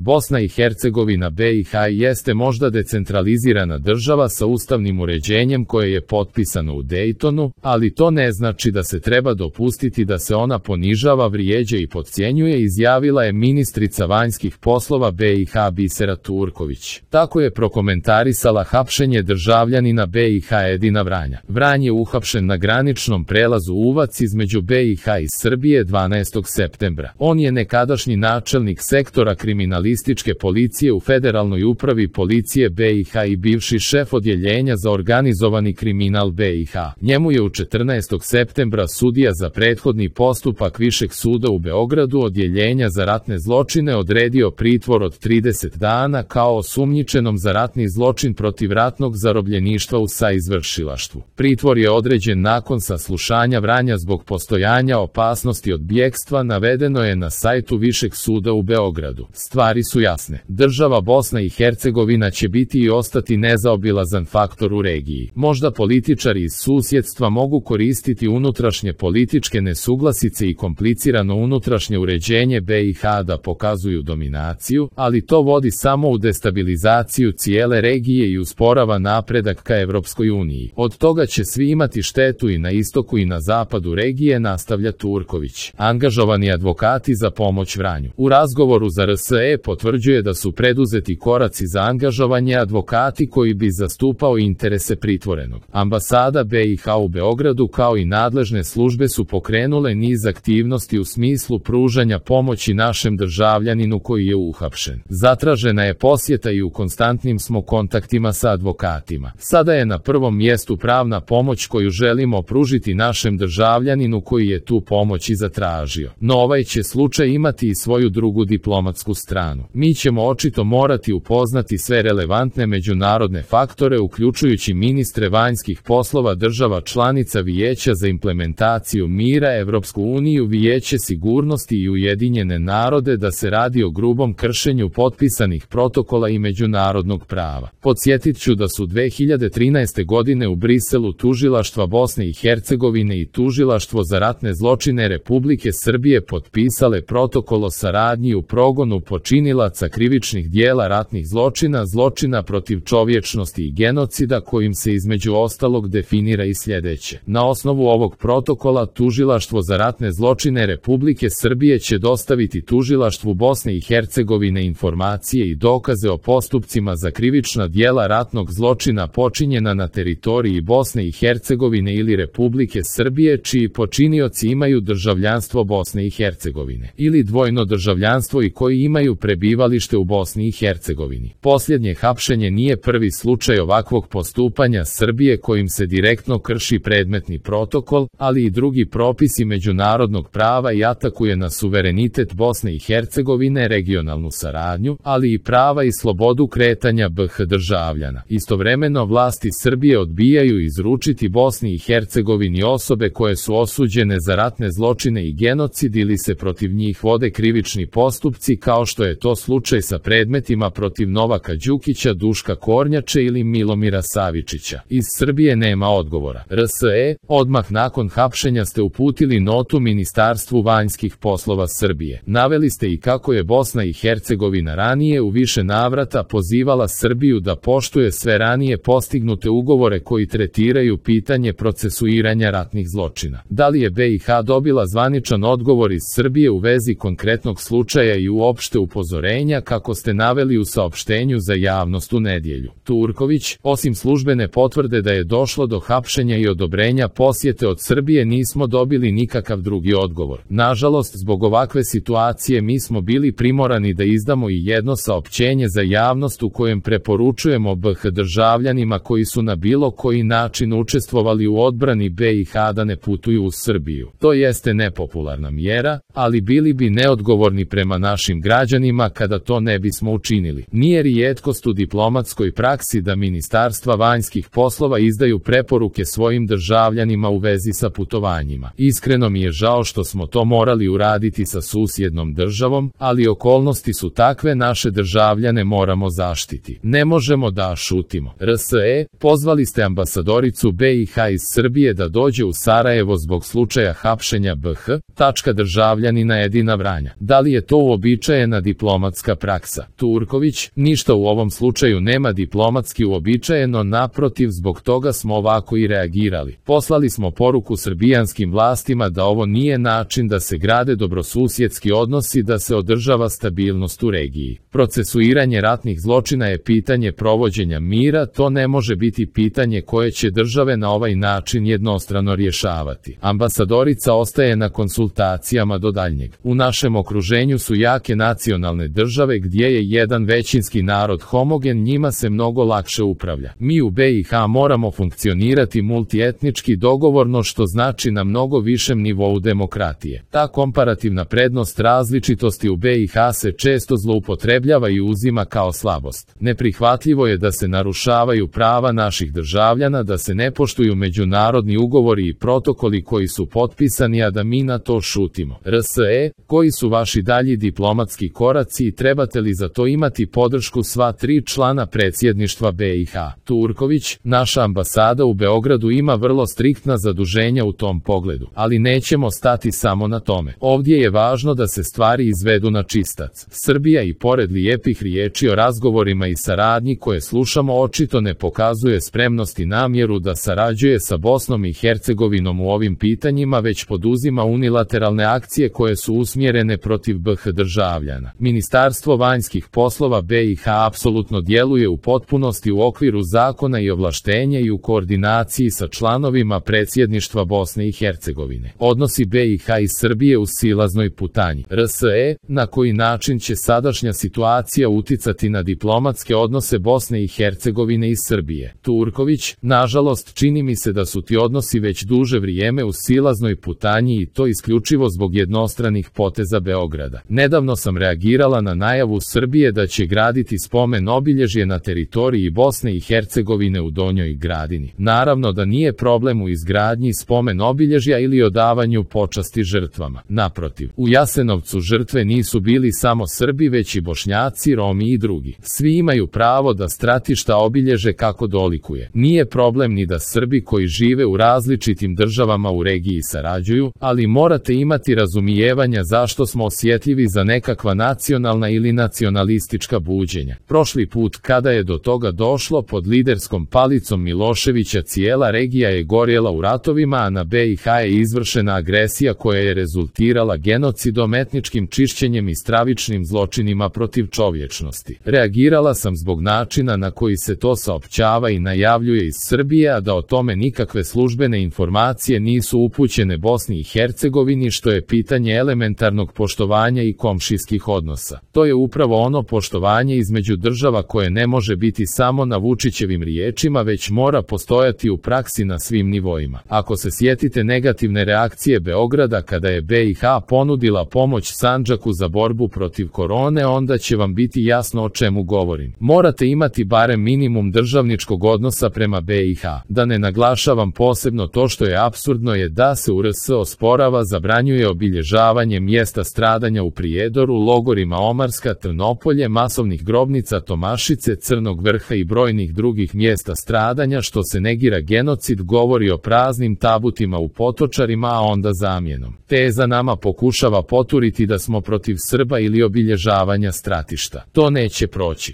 Bosna i Hercegovina BiH jeste možda decentralizirana država sa ustavnim uređenjem koje je potpisano u Dejtonu, ali to ne znači da se treba dopustiti da se ona ponižava, vrijeđa i podcjenjuje, izjavila je ministrica vanjskih poslova BiH Bisera Turković. Tako je prokomentarisala hapšenje državljanina BiH Edina Vranja. Vranj je uhapšen na graničnom prelazu Uvac između BiH i Srbije 12. septembra. On je nekadašnji načelnik sektora kriminalističke policije u Federalnoj upravi policije BiH i bivši šef odjeljenja za organizovani kriminal BiH. Njemu je u 14. septembra sudija za prethodni postupak Višeg suda u Beogradu odjeljenja za ratne zločine odredio pritvor od 30 dana kao osumnjičenom za ratni zločin protiv ratnog zarobljeništva u saizvršilaštvu. Pritvor je određen nakon saslušanja Vranja zbog postojanja opasnosti od bjegstva, navedeno je na sajtu Višeg suda u Beogradu. Stvari su jasne. Država Bosna i Hercegovina će biti i ostati nezaobilazan faktor u regiji. Možda političari iz susjedstva mogu koristiti unutrašnje političke nesuglasice i komplicirano unutrašnje uređenje BiH da pokazuju dominaciju, ali to vodi samo u destabilizaciju cijele regije i usporava napredak ka Evropskoj uniji. Od toga će svi imati štetu i na istoku i na zapadu regije, nastavlja Turković. Angažovani advokati za pomoć Vranju. U razgovoru za RSE potvrđuje da su preduzeti koraci za angažovanje advokati koji bi zastupao interese pritvorenog. Ambasada BiH u Beogradu kao i nadležne službe su pokrenule niz aktivnosti u smislu pružanja pomoći našem državljaninu koji je uhapšen. Zatražena je posjeta i u konstantnim smo kontaktima sa advokatima. Sada je na prvom mjestu pravna pomoć koju želimo pružiti našem državljaninu koji je tu pomoć i zatražio. No ovaj će slučaj imati i svoju drugu diplomatsku stranu. Mi ćemo očito morati upoznati sve relevantne međunarodne faktore uključujući ministre vanjskih poslova država članica Vijeća za implementaciju mira, Evropsku uniju, Vijeće sigurnosti i Ujedinjene narode da se radi o grubom kršenju potpisanih protokola i međunarodnog prava. Podsjetit ću da su 2013. godine u Briselu tužilaštva Bosne i Hercegovine i tužilaštvo za ratne zločine Republike Srbije potpisale protokol o saradnji u progonu počinilaca krivičnih dijela ratnih zločina, zločina protiv čovječnosti i genocida, kojim se između ostalog definira i sljedeće. Na osnovu ovog protokola tužilaštvo za ratne zločine Republike Srbije će dostaviti tužilaštvu Bosne i Hercegovine informacije i dokaze o postupcima za krivična dijela ratnog zločina počinjena na teritoriji Bosne i Hercegovine ili Republike Srbije čiji počinioci imaju državljanstvo Bosne i Hercegovine ili dvojno državljanstvo i koji imaju prebivalište u Bosni i Hercegovini. Posljednje hapšenje nije prvi slučaj ovakvog postupanja Srbije kojim se direktno krši predmetni protokol, ali i drugi propisi međunarodnog prava i atakuje na suverenitet Bosne i Hercegovine, regionalnu saradnju, ali i prava i slobodu kretanja BiH državljana. Istovremeno vlasti Srbije odbijaju izručiti Bosni i Hercegovini osobe koje su osuđene za ratne zločine i genocid ili se protiv njih vode krivični postupci kao što je to slučaj sa predmetima protiv Novaka Đukića, Duška Kornjače ili Milomira Savičića. Iz Srbije nema odgovora. RSE, odmah nakon hapšenja ste uputili notu Ministarstvu vanjskih poslova Srbije. Naveli ste i kako je Bosna i Hercegovina ranije u više navrata pozivala Srbiju da poštuje sve ranije postignute ugovore koji tretiraju pitanje procesuiranja ratnih zločina. Da li je BiH dobila zvaničan odgovor iz Srbije u vezi konkretnog slučaja i uopšte upozorenja kako ste naveli u saopštenju za javnost u nedjelju? Turković, osim službene potvrde da je došlo do hapšenja i odobrenja posjete od Srbije nismo dobili nikakav drugi odgovor. Nažalost, zbog ovakve situacije mi smo bili primorani da izdamo i jedno saopćenje za javnost u kojem preporučujemo BiH državljanima koji su na bilo koji način učestvovali u odbrani BiH da ne putuju u Srbiju. To jeste nepopularna mjera, ali bili bi neodgovorni prema našim građanima kada to ne bismo učinili. Nije rijetkost u diplomatskoj praksi da ministarstva vanjskih poslova izdaju preporuke svojim državljanima u vezi sa putovanjima. Iskreno mi je žao što smo to morali uraditi sa susjednom državom, ali okolnosti su takve, naše državljane moramo zaštiti. Ne možemo da šutimo. RSE, pozvali ste ambasadoricu BiH iz Srbije da dođe u Sarajevo zbog slučaja hapšenja BiH državljanina Edina Vranja. Da li je to uobičajena diplomatska diplomatska praksa. Turković, ništa u ovom slučaju nema diplomatski uobičajeno, naprotiv, zbog toga smo ovako i reagirali. Poslali smo poruku srbijanskim vlastima da ovo nije način da se grade dobrosusjedski odnosi, da se održava stabilnost u regiji. Procesuiranje ratnih zločina je pitanje provođenja mira, to ne može biti pitanje koje će države na ovaj način jednostrano rješavati. Ambasadorica ostaje na konsultacijama do daljnjeg. U našem okruženju su jake nacionalne države gdje je jedan većinski narod homogen, njima se mnogo lakše upravlja. Mi u BiH moramo funkcionirati multietnički dogovorno, što znači na mnogo višem nivou demokratije. Ta komparativna prednost različitosti u BiH se često zloupotrebljava i uzima kao slabost. Neprihvatljivo je da se narušavaju prava naših državljana, da se ne poštuju međunarodni ugovori i protokoli koji su potpisani, a da mi na to šutimo. RSE, koji su vaši dalji diplomatski koraci i trebate li za to imati podršku sva 3 člana predsjedništva BiH? Turković, naša ambasada u Beogradu ima vrlo striktna zaduženja u tom pogledu, ali nećemo stati samo na tome. Ovdje je važno da se stvari izvedu na čistac. Srbija i pored lijepih riječi o razgovorima i saradnji koje slušamo očito ne pokazuje spremnost i namjeru da sarađuje sa Bosnom i Hercegovinom u ovim pitanjima, već poduzima unilateralne akcije koje su usmjerene protiv BiH državljana. Ministarstvo vanjskih poslova BiH apsolutno djeluje u potpunosti u okviru zakona i ovlaštenja i u koordinaciji sa članovima predsjedništva Bosne i Hercegovine. Odnosi BiH i Srbije u silaznoj putanji. RSE, na koji način će sadašnja situacija uticati na diplomatske odnose Bosne i Hercegovine i Srbije? Turković, nažalost, čini mi se da su ti odnosi već duže vrijeme u silaznoj putanji i to isključivo zbog jednostranih poteza Beograda. Nedavno sam reagirala na najavu Srbije da će graditi spomen obilježje na teritoriji Bosne i Hercegovine u Donjoj Gradini. Naravno da nije problem u izgradnji spomen obilježja ili odavanju počasti žrtvama. Naprotiv, u Jasenovcu žrtve nisu bili samo Srbi, već i Bošnjaci, Romi i drugi. Svi imaju pravo da stratišta obilježe kako dolikuje. Nije problem ni da Srbi koji žive u različitim državama u regiji sarađuju, ali morate imati razumijevanja zašto smo osjetljivi za nekakva nacionalna ili nacionalistička buđenja. Prošli put kada je do toga došlo pod liderskom palicom Miloševića, cijela regija je gorjela u ratovima, a na BiH je izvršena agresija koja je rezultirala genocidom, etničkim čišćenjem i stravičnim zločinima protiv čovječnosti. Reagirala sam zbog načina na koji se to saopćava i najavljuje iz Srbije, a da o tome nikakve službene informacije nisu upućene Bosni i Hercegovini, što je pitanje elementarnog poštovanja i komšijskih odnosa. To je upravo ono poštovanje između država koje ne može biti samo na Vučićevim riječima, već mora postojati u praksi na svim nivoima. Ako se sjetite negativne reakcije Beograda kada je BiH ponudila pomoć Sandžaku za borbu protiv korone, onda će vam biti jasno o čemu govorim. Morate imati barem minimum državničkog odnosa prema BiH. Da ne naglašavam posebno to što je apsurdno je da se u RS osporava, zabranjuje obilježavanje mjesta stradanja u Prijedoru, logorima Omarska, Trnopolje, masovnih grobnica Tomašice, Crnog Vrha i brojnih drugih mjesta stradanja, što se negira genocid, govori o praznim tabutima u Potočarima, a onda zamjenom teza nama pokušava poturiti da smo protiv Srba ili obilježavanja stratišta. To neće proći.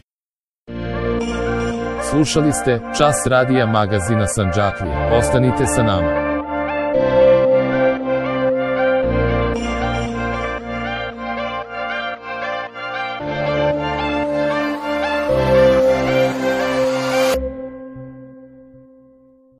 Slušali ste Čas radija magazina Sandžaklije. Ostanite sa nama.